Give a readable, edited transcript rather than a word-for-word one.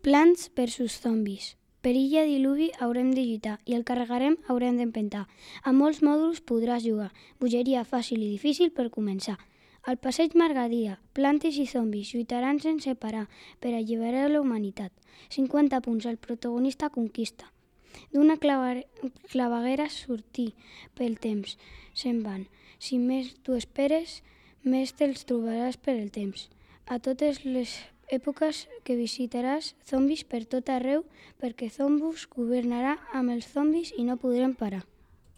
Plants versus zombis. Per illa diluvi haurem de lluitar i el carregarem haurem d'empentar. A molts mòduls podràs jugar. Bogeria fàcil i difícil per començar. Al passeig Margarida, plantes i zombis lluitaran sense parar per alliberar la humanitat. 50 punts, el protagonista conquista. D'una claveguera sortir pel temps, se'n van. Si més t'ho esperes, més te'ls trobaràs per el temps. A totes les èpoques que visitaràs zombis per tot arreu perquè Zombus governarà amb els zombis i no podrem parar.